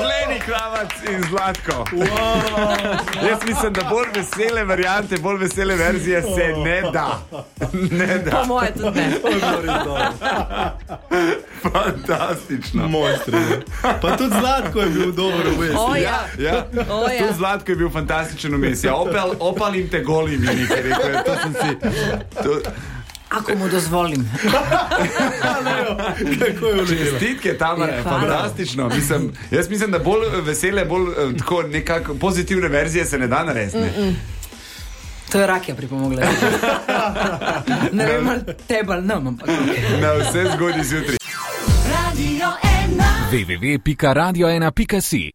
Leni Kravac in Zlatko. Jaz mislim, da bolj vesele variante, bolj vesele verzije se ne da. Ne da. Po moje tudi ne. Fantastično. Mojstri. Pa tudi Zlatko je bil dobro vmes. Ja. Tudi Zlatko je bil fantastičen vmes. Ja, opalim te golim, je nekaj rekel. To sem si... Ako mu dozvolim. Čestitke, Tamara, fantastično. Jaz mislim, da bolj vesele, bolj tako nekako pozitivne verzije se ne da narediti. To je Rakija pripomogla. Ne vem, ali tebe ali nam, ampak. Na vse zgodi zjutraj. www.radio1.si